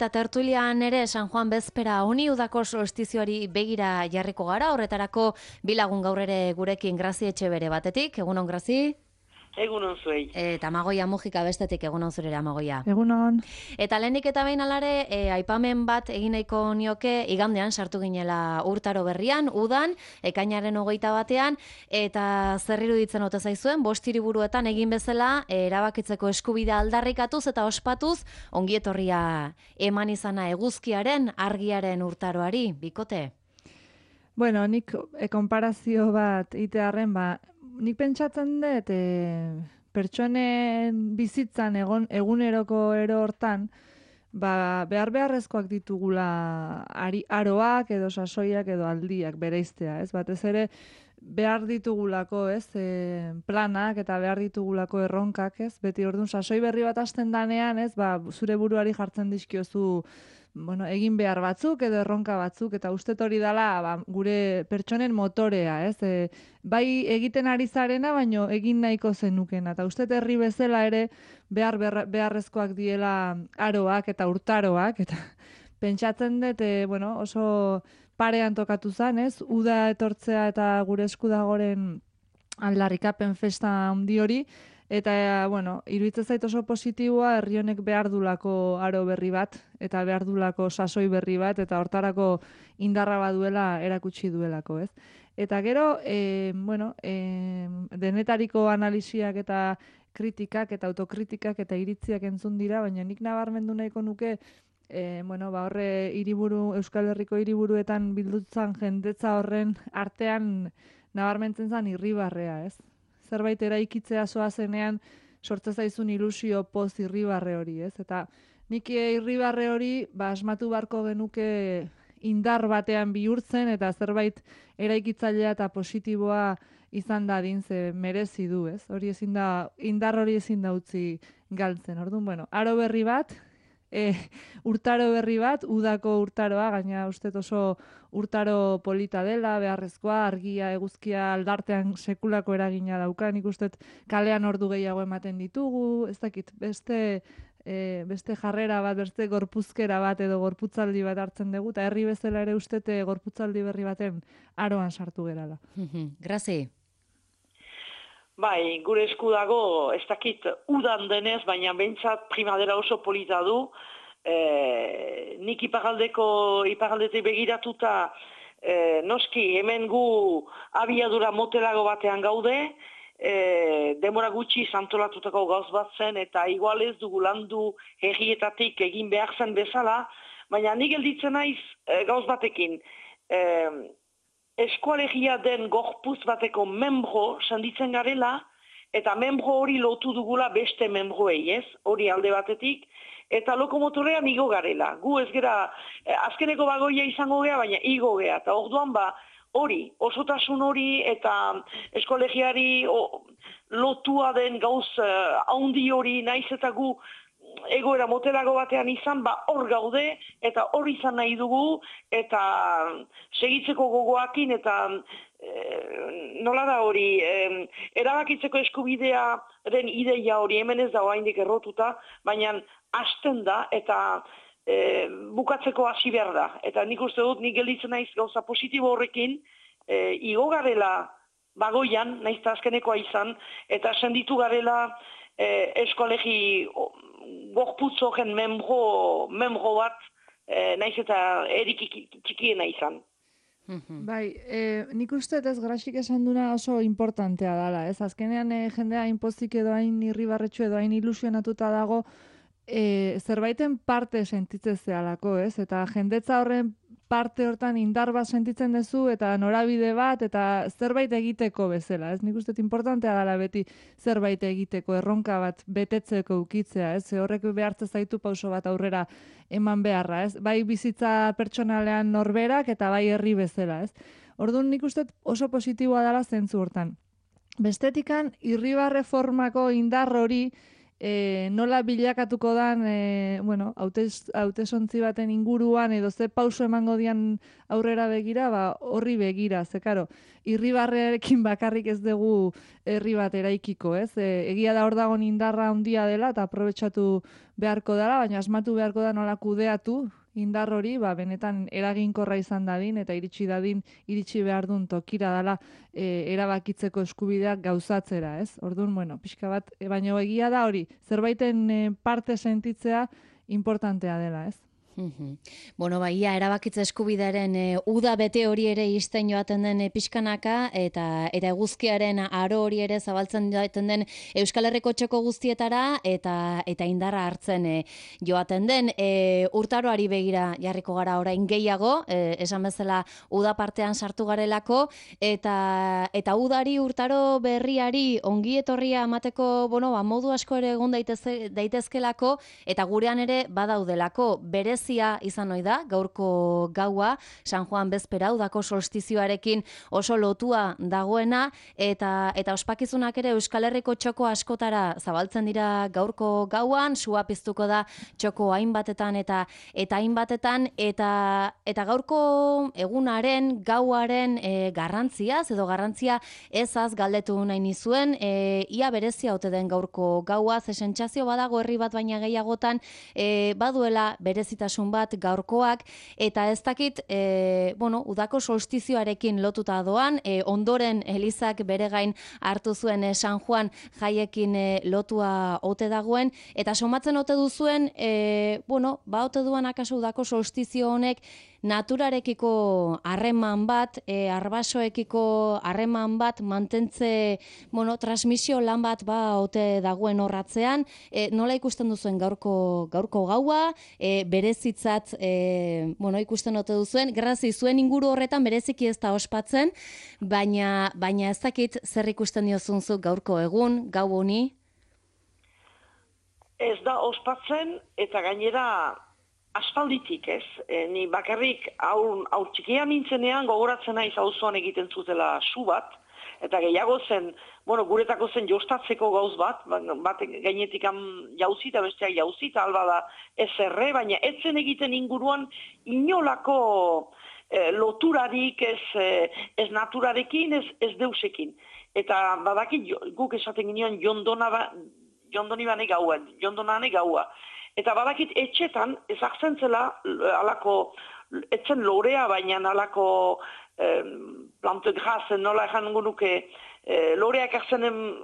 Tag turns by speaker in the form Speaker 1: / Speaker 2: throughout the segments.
Speaker 1: Eta tertulian ere San Juan bezpera honi udako solstizioari begira jarriko gara, horretarako bilagun gaur ere gurekin Grazi Etxebere batetik, egunon Grazi?
Speaker 2: Egunon zuei.
Speaker 1: Eta Amagoia Mujika bestetik, egunon zurera Amagoia.
Speaker 3: Egunon.
Speaker 1: Eta lehenik eta behin alare, aipamen bat egin nahiko nioke igandean sartu ginela urtaro berrian, udan, ekainaren 21 eta zer iruditzen ote zaizuen, 5 hiriburuetan egin bezala, erabakitzeko eskubidea aldarrikatuz eta ospatuz, ongietorria eman izana eguzkiaren, argiaren urtaroari, bikote?
Speaker 3: Bueno, nik konparazio bat itearren, nik pentsatzen dut pertsonen bizitzan eguneroko ero hortan, beharrezkoak ditugula aroak edo sasoiak edo aldiak bereiztea, ez? Batez ere behar ditugulako, ez? Planak eta behar ditugulako erronkak, ez? Beti orduan sasoi berri bat hasten danean, ez? Zure buruari jartzen dizkiozu egin behar batzuk edo erronka batzuk, eta uste hori dela gure pertsonen motorea, ez? Bai egiten ari zarena, baino egin nahiko zenukena, eta uste herri bezala ere beharrezkoak diela aroak eta urtaroak, eta pentsatzen dut, oso parean tokatu zen, ez? Uda etortzea eta gure esku dagoren aldarrikapen festa handi hori, eta, iruditzen zait oso positiboa herri honek behar dulako aro berri bat, eta behar dulako sasoi berri bat, eta hortarako indarra baduela erakutsi duelako, ez? Eta gero, denetariko analisiak eta kritikak eta autokritikak eta iritziak entzun dira, baina nik nabarmendu nahiko nuke, horre Euskal Herriko hiriburuetan bildutzan jendetza horren artean nabarmentzen zen irribarrea, ez? Zerbait eraikitzea zoazenean sortze zaizun ilusio poz irribarre hori, ez? Eta nik irribarre hori asmatu beharko genuke indar batean bihurtzen eta zerbait eraikitzailea eta positiboa izan dadin ze merezi du, ez? Indar hori ezin da utzi galtzen. Orduan, aro berri bat, urtaro berri bat, udako urtaroa, gaina uste oso urtaro polita dela, beharrezkoa, argia, eguzkia aldartean sekulako eragina dauka, nik uste kalean ordu gehiago ematen ditugu, ez dakit, beste jarrera bat, beste gorpuzkera bat edo gorputzaldi bat hartzen dugu, eta herri bezala ere uste gorputzaldi berri baten aroan sartu gerala.
Speaker 1: Grazi.
Speaker 2: Bai, gure esku dago, ez dakit udan denez, baina behintzat primadera oso polita du. Nik iparaldetik begiratuta, noski hemen gu abiadura motelago batean gaude, demora gutxi santolatutako gauz bat zen, eta igual ez dugu landu herrietatik egin behar zen bezala, baina nik gelditzen naiz gauz batekin. Eskualegia den gorpuz bateko membro senditzen garela, eta membro hori lotu dugula beste membroei, ez? Hori alde batetik, eta lokomotorean igo garela. Gu ez gera, azkeneko bagoia izango gea, baina igo gea, eta orduan hori, osotasun hori eta eskualegiari lotua den gauz haundi hori naiz eta gu egoera motelago batean izan, hor gaude, eta hor izan nahi dugu, eta segitzeko gogoakin, eta nola da hori, erabakitzeko eskubidearen ideia hori hemen ez da oraindik errotuta, baina hasten da, eta bukatzeko hasi behar da. Eta nik uste dut, nik gelditzen naiz gauza positibo horrekin, igo garela bagoian, naiz eta azkenekoa izan, eta senditu garela eskolegi gorputz horren membro bat, naiz eta erik txikiena izan.
Speaker 3: Bai, nik uste ez Graxik esan duna oso importantea dela, ez? Azkenean jendea inpozik edo hain irribarretxu edo hain ilusionatuta dago, zerbaiten parte sentitzen zehalako, ez? Eta jendetza horren parte hortan indar bat sentitzen duzu eta norabide bat eta zerbait egiteko bezala, ez? Nik uste importantea dela beti zerbait egiteko, erronka bat betetzeko ukitzea, ez? Horrek behartzen zaitu pauso bat aurrera eman beharra, ez? Bai bizitza pertsonalean norberak eta bai herri bezala, ez? Orduan nik uste oso positiboa dela zentzu hortan. Bestetikan, irribarre formako indar hori nola bilakatuko dan, hautesontzi baten inguruan, edo ze pauso emango dian aurrera begira, horri begira, ze karo, irribarrearekin bakarrik ez dugu herri bat eraikiko, ez? Egia da hor dagoen indarra handia dela, eta aprobetxatu beharko dela, baina asmatu beharko da nola kudeatu, indar hori, benetan eraginkorra izan dadin, eta iritsi behar duen tokira dela erabakitzeko eskubideak gauzatzera, ez? Orduan, pixka bat, baina egia da hori, zerbaiten parte sentitzea importantea dela, ez?
Speaker 1: Bueno, ia erabakitze eskubidearen uda bete hori ere izten joaten den pixkanaka, eta eguzkiaren aro hori ere zabaltzen joaten den Euskal Herriko txoko guztietara, eta indarra hartzen joaten den. Urtaroari begira jarriko gara orain gehiago, esan bezala uda partean sartu garelako, eta udari urtaro berriari ongi etorria emateko, modu asko ere egon daitezkelako, eta gurean ere badaudelako berezia izan ohi da, gaurko gaua, San Juan bezpera, udako solstizioarekin oso lotua dagoena, eta ospakizunak ere Euskal Herriko txoko askotara zabaltzen dira gaurko gauan, sua piztuko da txoko hainbatetan eta hainbatetan, eta gaurko egunaren, gauaren garrantziaz, edo garrantzia ezaz galdetu nahi nizuen, ia berezia ote den gaurko gaua, ze sentsazio badago herri bat baina gehiagotan, baduela berezitasun bat gaurkoak, eta ez dakit, udako solstizioarekin lotuta doan, ondoren Elizak bere gain hartu zuen San Juan jaiekin lotua ote dagoen, eta somatzen ote duzuen, ote duan akaso udako solstizio honek naturarekiko harreman bat, arbasoekiko harreman bat, mantentze, transmisio lan bat ote dagoen horratzean, nola ikusten duzuen gaurko gaua, berezitzat, ikusten ote duzuen, grazi zuen inguru horretan bereziki ez da ospatzen, baina ez dakit zer ikusten diozunzuk gaurko egun, gau honi?
Speaker 2: Ez da ospatzen, eta gainera aspalditik, ez? Ni bakarrik aur txikia nintzenean gogoratzen naiz auzoan egiten zutela su bat, eta gehiago zen, guretako zen jostatzeko gauz bat gainetik jauzi eta besteak jauzi, eta alba da ez erre, baina etzen egiten inguruan inolako loturarik, ez naturarekin, ez deusekin. Eta badakit guk esaten ginean jondonibane gaua. Eta badakit etxetan, ezartzen zela, etzen lorea, baina alako plante gras, nola egan nuke, loreak erzenen,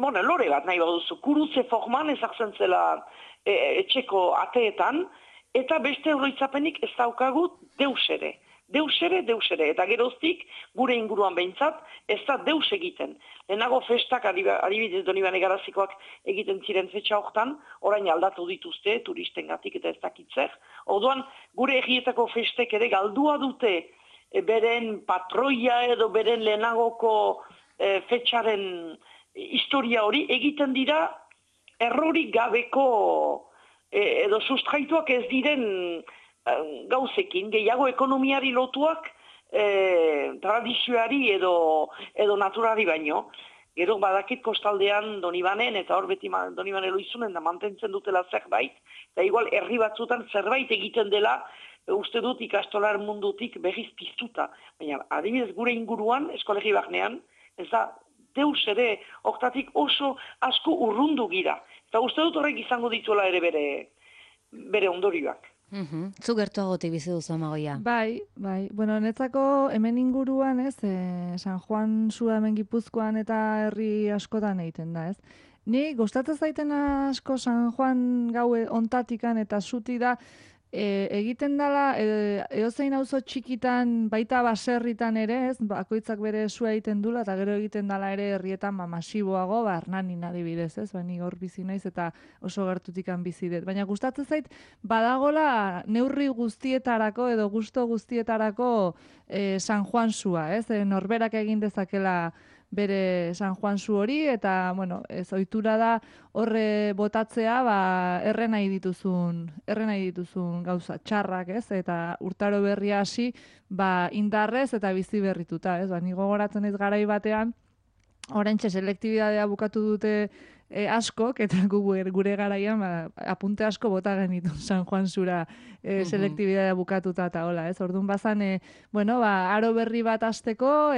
Speaker 2: lore bat nahi baduzu, kurutze forman ezartzen zela etxeko ateetan, eta beste oroitzapenik ez daukagut deus ere. Deus ere, eta geroztik, gure inguruan behintzat, ez da deus egiten. Lehenago festak, adibidez Donibane Garazikoak egiten ziren fetxa hortan, orain aldatu dituzte, turistengatik eta ez dakitzer. Orduan, gure egietako festek ere galdua dute beren patroia edo beren lehenagoko fetxaren historia hori, egiten dira errorik gabeko edo sustraituak ez diren gauzekin, gehiago ekonomiari lotuak tradizioari edo naturari baino. Gero badakit kostaldean Donibanen, eta hor beti Donibane loizunen da mantentzen dutela zerbait, eta igual herri batzutan zerbait egiten dela, uste dut ikastolar mundutik berriz piztuta. Baina adibidez gure inguruan, eskolegi barnean, ez da deus ere, hortatik oso asko urrundu gira. Eta uste dut horrek izango dituela ere bere ondorioak.
Speaker 1: Zu gertuagotik bizi duzu, Amagoia.
Speaker 3: Bai. Netzako hemen inguruan, ez, San Juan zua hemen Gipuzkoan eta herri askotan egiten da, ez. Ni gustatzen zaiten asko San Juan gaue ontatikan eta zuti da, egiten dela, edozein auzo txikitan, baita baserritan ere, ez, bakoitzak bere sua egiten dula, eta gero egiten dela ere herrietan masiboago, Hernanin adibidez, ez, ni gaur bizi naiz eta oso gertutikan bizi dut. Baina gustatzen zait, badagola neurri guztietarako edo gusto guztietarako San Juan sua, ez, norberak egin dezakela bere San Juan zu hori, eta, ez ohitura da horre botatzea, erre nahi dituzun gauza txarrak, ez, eta urtaro berria hasi, indarrez eta bizi berrituta, ez, ni gogoratzen ez garai batean, oraintxe selektibitatea bukatu dute askok, eta gure garaian apunte asko bota genitu San Juan zura selektibidea bukatuta eta hola, ez? Orduan bazan, aro berri bat hasteko,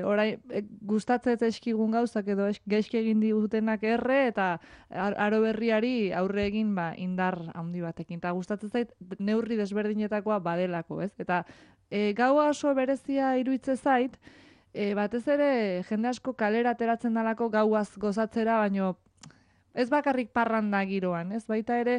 Speaker 3: orain gustatzen eskigun gauzak edo gaizki egin digutenak erre eta aro berriari aurre egin indar handi batekin. Eta gustatzen zait neurri desberdinetakoa badelako, ez? Eta gaua oso berezia iruditzen zait, batez ere jende asko kalera ateratzen dalako gauaz gozatzera, baino ez bakarrik parranda giroan, ez? Baita ere,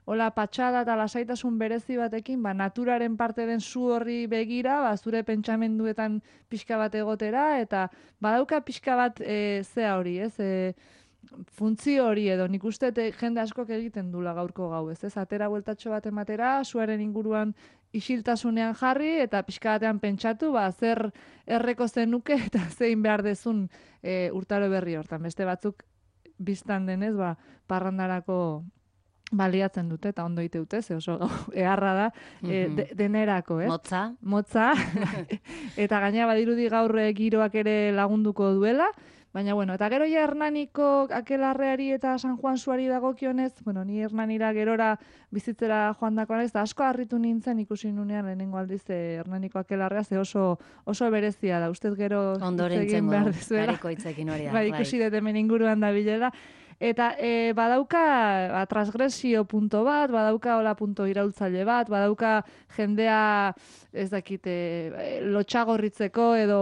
Speaker 3: hola patxada eta lasaitasun berezi batekin, naturaren parte den zu horri begira, zure pentsamenduetan pixka bat egotera, eta badauka pixka bat zea hori, ez? Funtzio hori edo, nik uste jende askok egiten dula gaurko gau, ez? Atera bueltatxo bat ematera, zuaren inguruan isiltasunean jarri, eta pixka batean pentsatu, zer erreko zenuke, eta zein behar dezun urtaro berri hortan. Beste batzuk biztan denez, parrandarako baliatzen dute, eta ondo ite dute, ze oso eharra da, denerako, ez? Motza. Eta gaina badirudi gaur giroak ere lagunduko duela, baina, eta gero ja Hernaniko akelarreari eta San Juan zuari dagokionez, ni Hernanira gerora bizitzera joan dakoan ez, da asko harritu nintzen ikusi nunean lehenengo aldiz Hernaniko akelarrea, ze oso berezia da, ustez gero
Speaker 1: ondorentzen behar dizuela. Itzekin hori da.
Speaker 3: Ikusi dut hemen inguruan da bilela. Eta badauka transgresio punto bat, badauka hola punto iraultzaile bat, badauka jendea ez dakit lotxagorritzeko edo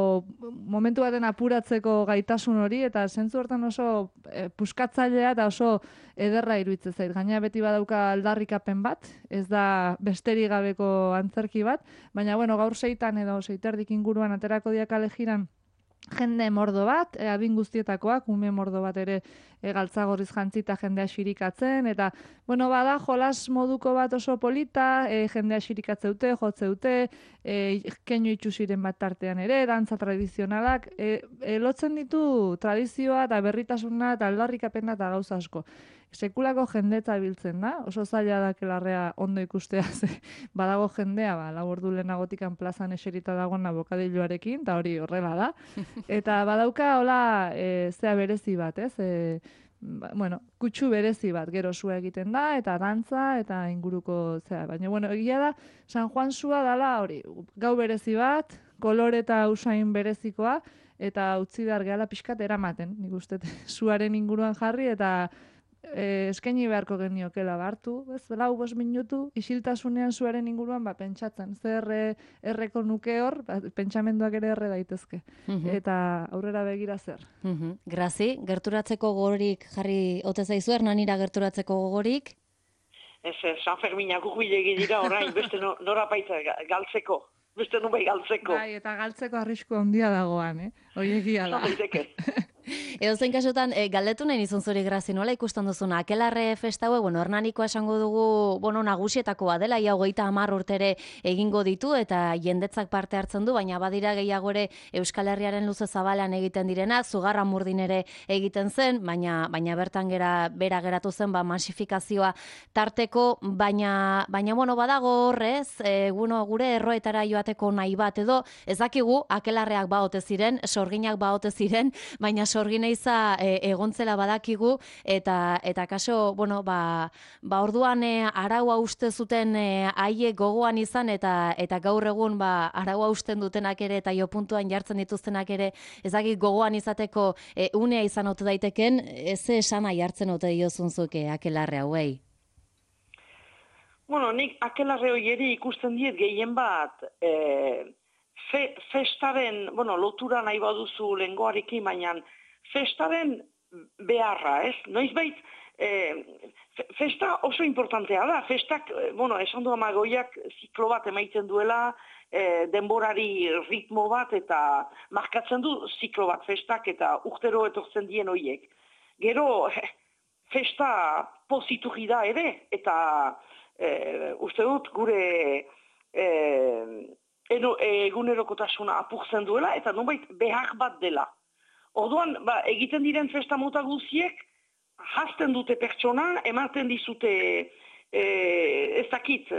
Speaker 3: momentu baten apuratzeko gaitasun hori, eta zentzu hortan oso puskatzailea eta oso ederra iruditzen zait. Gaina beti badauka aldarrikapen bat, ez da besterik gabeko antzerki bat, baina gaur 6 edo 6:30 inguruan aterako diakale jiran jende mordo bat, adin guztietakoak, ume mordo bat ere galtzagorriz jantzita jendea xirikatzen, eta, bada jolas moduko bat oso polita, jendea xirikatzeute, jotzeute, keinu itxusiren bat tartean ere, dantza tradizionalak, lotzen ditu tradizioa eta berritasuna eta aldarrikapena eta gauza asko. Sekulako jendetza biltzen da, oso zaila da kelarrea ondo ikustea, badago jendea, lau ordu lehenagotikan plazan eserita dagoen abokadilloarekin, eta hori horrela da. Eta badauka, hola, zea berezi bat, ez? Kutsu berezi bat, gero sua egiten da, eta dantza, eta inguruko zea. Baina, egia da, San Juan sua dala hori, gau berezi bat, kolore eta usain berezikoa, eta utzi behar gehala pixkat eramaten, nik uste, suaren inguruan jarri, eta eskaini beharko geniokela hartu, 4-5 minutu, isiltasunean zuaren inguruan pentsatzen, zer erreko nuke hor, pentsamenduak ere erre daitezke. Eta aurrera begira zer.
Speaker 1: Grazi, gerturatzeko gogorik jarri ote zaizu, Hernanira gerturatzeko gogorik?
Speaker 2: Ez, San Ferminak urbilegi dira orain, beste norapaitza galtzeko. Beste nubai galtzeko.
Speaker 3: Bai, eta galtzeko arrisku handia dagoan, Horiegia da.
Speaker 1: Edo zein kasutan, galdetu nahi nizun zuri Grazi, nola ikusten duzuna? Akelarre festa hau, Hernanikoa esango dugu, nagusietakoa dela, ia 30 urtere egingo ditu, eta jendetzak parte hartzen du, baina badira gehiago ere Euskal Herriaren luze zabalean egiten direnak, Zugarramurdin ere egiten zen, baina bertan bera geratu zen, masifikazioa tarteko, baina badago horrez, gure erroetara joateko nahi bat edo, ez dakigu, akelarreak baote ziren, sorginak baote ziren, baina sorgineiza egontzela badakigu, eta kaso, orduan araua uste zuten haiek gogoan izan, eta gaur egun araua usten dutenak ere, eta jopuntuan jartzen dituztenak ere, ezagik gogoan izateko unea izan ote daiteken, ez esana jartzen ote diozunzuke akelarre hauei?
Speaker 2: Nik akelarre hoieri ikusten diet gehien bat, festaren, lotura nahi baduzu lengoarekin, baina festaren beharra, ez? Noizbait, festa oso importantea da. Festak, esan du Amagoiak ziklo bat emaiten duela, denborari ritmo bat, eta markatzen du ziklo bat festak, eta urtero etortzen dien hoiek. Gero, festa poziturri da ere, eta uste dut gure egunerokotasuna apurtzen duela, eta nonbait behar bat dela. Orduan, egiten diren festa mota guziek, hasten dute pertsona, ematen dizute, ez dakit,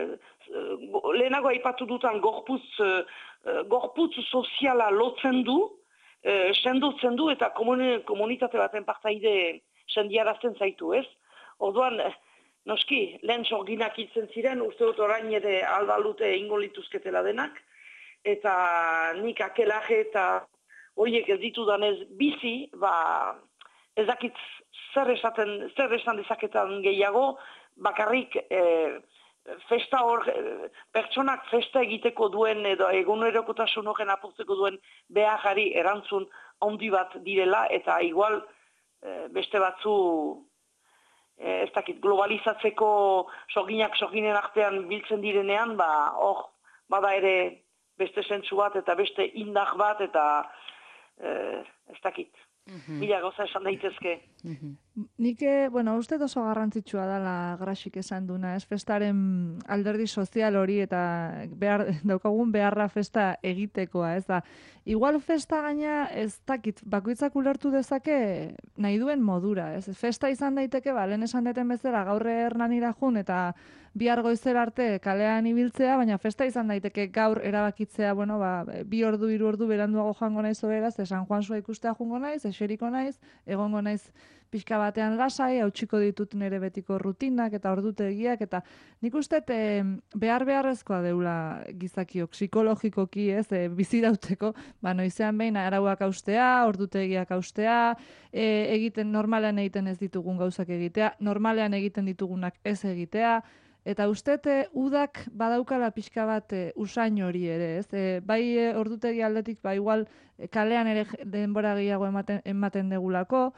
Speaker 2: lehenago aipatu dutan gorputz soziala lotzen du, sendotzen du, eta komunitate baten partaide sendiarazten zaitu, ez? Orduan, noski, lehen sorginak hiltzen ziren, uste dut orain ere aldalute ingo lituzketela denak, eta nik akelaje eta horiek ez ditudanez bizi, ez dakit zer esan dezaketan gehiago, bakarrik festa hor, pertsonak festa egiteko duen edo egunerokotasun horren apurtzeko duen beharari erantzun handi bat direla, eta igual beste batzu ez dakit, globalizatzeko sorginen artean biltzen direnean, hor, bada ere beste zentzu bat eta beste indar bat eta ez dakit. Mila gauza esan daitezke.
Speaker 3: Nik, uste oso garrantzitsua dela Grasik esan duna, ez festaren alderdi sozial hori eta daukagun beharra festa egitekoa, ez da. Igual festa gaina ez dakit, bakoitzak ulertu dezake nahi duen modura, ez. Festa izan daiteke, lehen esan deten bezala gaur Hernanira jun eta bihar goizera arte kalean ibiltzea, baina festa izan daiteke gaur erabakitzea, 2 ordu, 3 ordu beranduago joango naiz oberaz, San Juansua ikustea joango naiz, eseriko naiz, egongo naiz pixka batean lasai, hautsiko ditut nire betiko rutinak eta ordutegiak, eta nik uste beharrezkoa deula gizakiok, psikologikoki, ez, bizirauteko, noizean behin arauak haustea, ordutegiak haustea, normalean egiten ez ditugun gauzak egitea, normalean egiten ditugunak ez egitea, eta uste udak badaukala pixka bat usain hori ere, ez? Bai ordutegi aldetik, igual kalean ere denbora gehiago ematen degulako,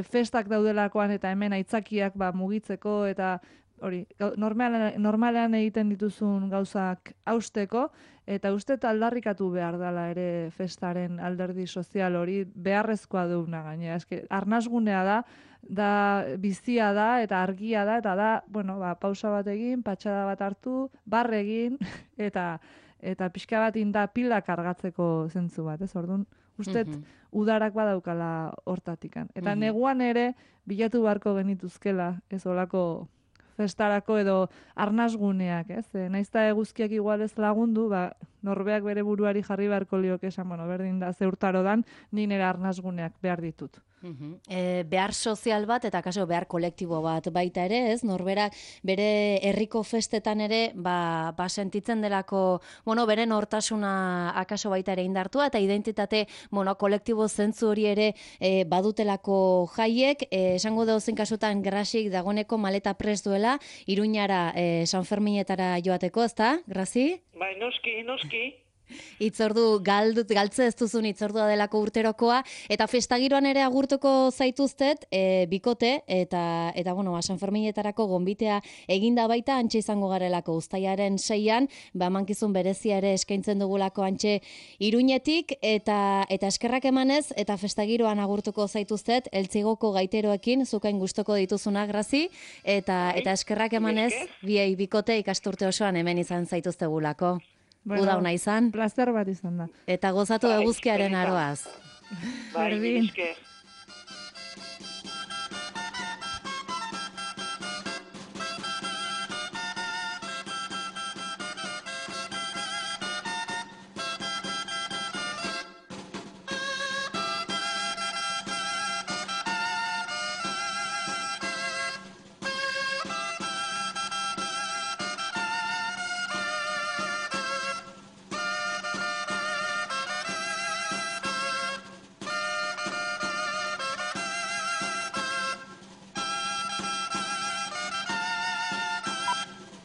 Speaker 3: festak daudelakoan eta hemen aitzakiak mugitzeko eta hori, normalean egiten dituzun gauzak hausteko, eta uste aldarrikatu behar dela ere festaren alderdi sozial hori beharrezkoa duguna gainera. Arnasgunea da bizia da eta argia da, eta da, pausa bat egin, patxada bat hartu, barre egin, eta pixka bat inda pila kargatzeko zentzu bat, ez? Orduan, uste udarak badaukala hortatikan. Eta neguan ere, bilatu beharko genituzkela, ez olako festarako edo arnasguneak, ez? Naizta eguzkiak igual ez lagundu, norbeak bere buruari jarri beharko lioke esan, berdin da, ze urtaro dan, ni nire arnasguneak behar ditut.
Speaker 1: Behar sozial bat eta kaso behar kolektibo bat baita ere, ez? Norberak bere herriko festetan ere sentitzen delako, beren hortasuna akaso baita ere indartua eta identitate kolektibo zentzu hori ere badutelako jaiek, esango dauzen kasutan Grasik dagoneko maleta prest duela Iruñara San Ferminetara joateko, ezta, Grasi?
Speaker 2: Bai, noski.
Speaker 1: Itzordu galtze ez duzun itzordua delako urterokoa, eta festagiroan ere agurtuko zaituztet bikote, eta San Ferminetarako gonbitea eginda baita antxe izango garelako uztailaren 6an, emankizun berezia ere eskaintzen dugulako antxe Iruñetik, eta eskerrak emanez, eta festagiroan agurtuko zaituztet, eltzigoko gaiteroekin, zukain gustoko dituzuna, Grasi, eta eskerrak emanez, biei bikote ikasturte osoan hemen izan zaituztegulako. Uda hona izan.
Speaker 3: Plazer bat izan da.
Speaker 1: Eta gozatu eguzkiaren aroaz.
Speaker 2: Bai,